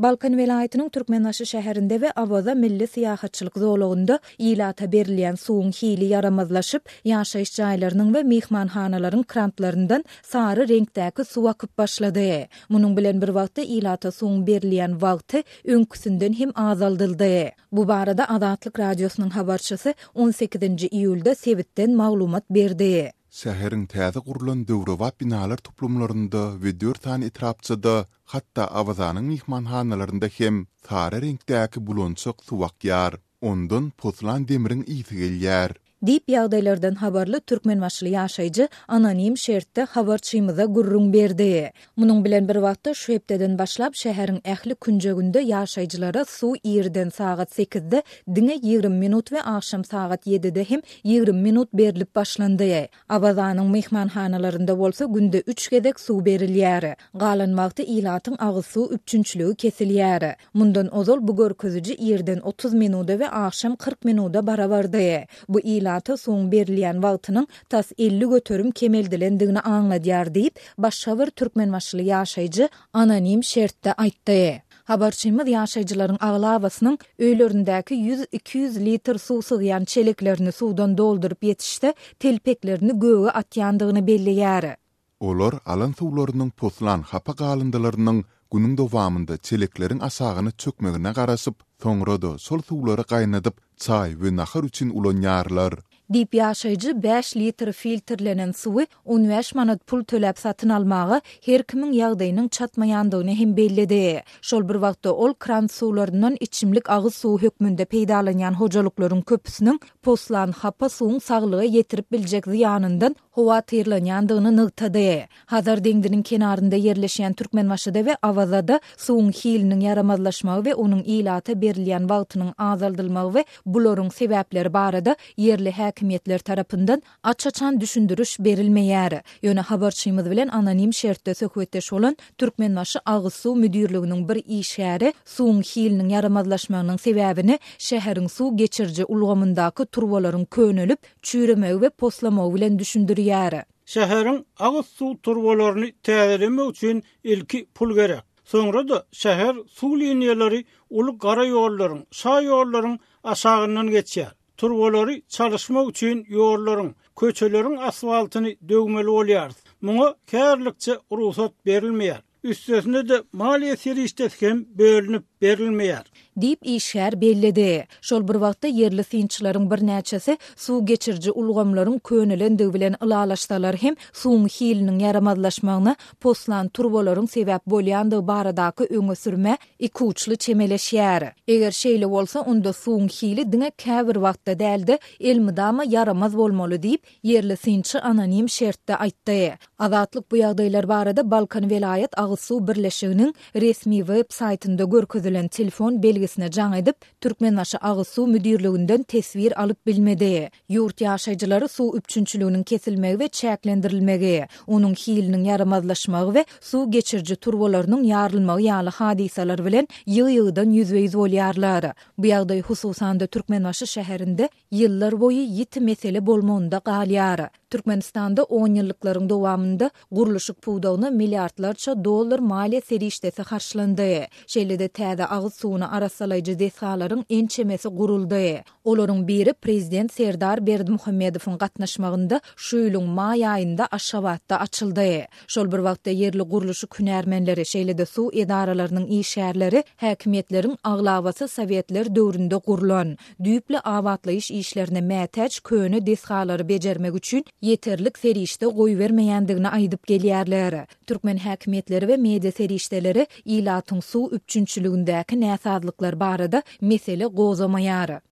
Balkan welaýatynyň Türkmenbaşy şäherinde we Awaza milli syýahatçylyk zolagynda ilata berilýän suwuň hili ýaramazlaşyp, ýaşaýyş jaýlarynyň we myhmanhanalaryň krantlaryndan sary reňkdäki suw akyp başlady. Munuň bilen bir wagtda ilata suwuň berilýän wagty öňküsinden hem azaldyldy. Bu barada Azatlyk Radiosynyň habarçysy on sekizinji iýulda sebitden maglumat berdi. Şäheriň täze gurlan döwrebap binalar toplumlarynda we dört sany etrapçada, hatda Awazanyň myhmanhanalarynda hem sary reňkdäki bulançak suw akýar. Ondan poslan demriň ysy gelýär. Diýip, ýagdaýlardan habarly türkmenbaşyly ýaşaýjy anonim şertde habarçymyza gürrüň berdi. Munuň bilen bir wagtda, şu hepdeden başlap şäheriň ähli künjeginde ýaşaýjylara suw irden sagat sekizde diňe 20 minut we agşam sagat ýedide hem 20 minut berlip başlandy. Awazanyň myhmanhanalarynda bolsa günde üç gezek suw berilýär. Galan wagty ilatyň agyz suw üpjünçiligi kesilýär. Mundan ozal bu görkeziji irden 30 minuda we agşam 40 minuda barabardy. Bu ilata suwuň berilýän wagtynyň tas 50% kemeldilendigini aňladýar diýip, başga bir türkmenbaşyly ýaşaýjy anonim şertde aýtdy. Habarçymyz ýaşaýjylaryň aglabasynyň öýlerindäki ýüz-iki ýüz litr suw sygýan çeleklerini suwdan dolduryp ýetişse, telpeklerini göge atýandygyny belleýär. Olar alan suwlarynyň poslan hapa galyndylarynyň günüň dowamynda çelekleriň aşagyna çökmegine garaşyp, soňra-da şol suwlary gaýnadyp, çaý we nahar üçin ulanýarlar. Diýip, ýaşaýjy bäş litr filtrlenen suwy on bäş manat pul töläp satyn almaga her kimiň ýagdaýynyň çatmaýandygyny hem belledi. Şol bir wagtda, ol kran suwlaryndan içimlik agyz suwy hökmünde peýdalanýan hojalyklaryň köpüsiniň poslan hapa suwuň saglyga ýetirip biljek zyýanyndan howatyrlanýandygyny nygtady. Hazar deňziniň kenarynda ýerleşýän Türkmenbaşyda we Awazada suwuň hiliniň ýaramazlaşmagy we onuň ilata berilýän wagtynyň azaldylmagy we bularyň sebäpleri barada ýerli häkimiýetler tarapyndan aç-açan düşündiriş berilmeýär. Ýöne habarçymyz bilen anonim şertde söhbetdeş bolan Türkmenbaşy agyz suw müdirliginiň bir işgäri suwuň hiliniň ýaramazlaşmagynyň sebäbini şäheriň suw geçiriji ulgamyndaky turbalaryň könelip, çüýremegi we poslamagy bilen düşündirýär. Şäheriň agyz suw turbalaryny täzelemek üçin ilki pul gerek. Soňra-da şäher suw liniýalary uly gara ýollaryň, şa ýollaryň aşagyndan geçýär. Turbalary çalyşmak üçin ýollaryň, köçeleriň asfaltyny döwmeli bolýarys. Muňa häzirlikçe rugsat berilmeýär. Üstesine-de maliýe serişdesi hem bölünip berilmeýär. Diýip, işgär belledi. Şol bir wagtda, ýerli synçylaryň birnäçesi suw geçiriji ulgamlaryň könelendigi bilen ylalaşsalar hem, suwuň hiliniň ýaramazlaşmagyna poslan turbalaryň sebäp bolýandygy baradaky öňe sürmä ikuçly çemeleşýär. Eger şeýle bolsa, onda suwuň hili diňe käbir wagtda däl-de, elmydama ýaramaz bolmaly diýip, Ýerli synçy anonim şertde aýtdy. Azatlyk bu ýagdaýlar barada Balkan welaýat agyz suw birleşiginiň resmi web saýtynda görkezilen telefon belgisine jaň edip, Türkmenbaşy agyz suw müdirliginden teswir alyp bilmedi. Ýurt ýaşaýjylary suw üpjünçiliginiň kesilmegi we çäklendirilmegi, onuň hiliniň ýaramazlaşmagy we suw geçiriji turbalarynyň ýarylmagy ýaly hadysalar bilen ýygy-ýygydan ýüzbe-ýüz bolýarlar. Bu ýagdaý hususan-da Türkmenbaşy şäherinde ýyllar boýy ýiti mesele bolmagynda galýar. Türkmenistanda onýyllyklaryň dowamynda gurluşyk pudagyna milliardlarça dollar maliýe serişdesi harçlandy. Şeýle-de täze agyz suwuny arassalaýjy desgalaryň ençemesi guruldy. Olaryň biri prezident Serdar Berdimuhamedowyň gatnaşmagynda şu ýylyň maý aýynda Aşgabatda açyldy. Şol bir wagtda ýerli gurluşyk hünärmenleri, şeýle-de suw edaralarynyň işgärleri häkimiýetleriň aglabasy sowetler döwründe gurlan, düýpli abatlaýyş işlerine mätäç köne desgalary bejermek üçin ýeterlik serişde goýbermeýändigini aýdyp gelýärler. Türkmen häkimiýetleri we media serişdeleri ilatyň suw üpjünçiligindäki näsazlyklar barada mesele gozamaýar.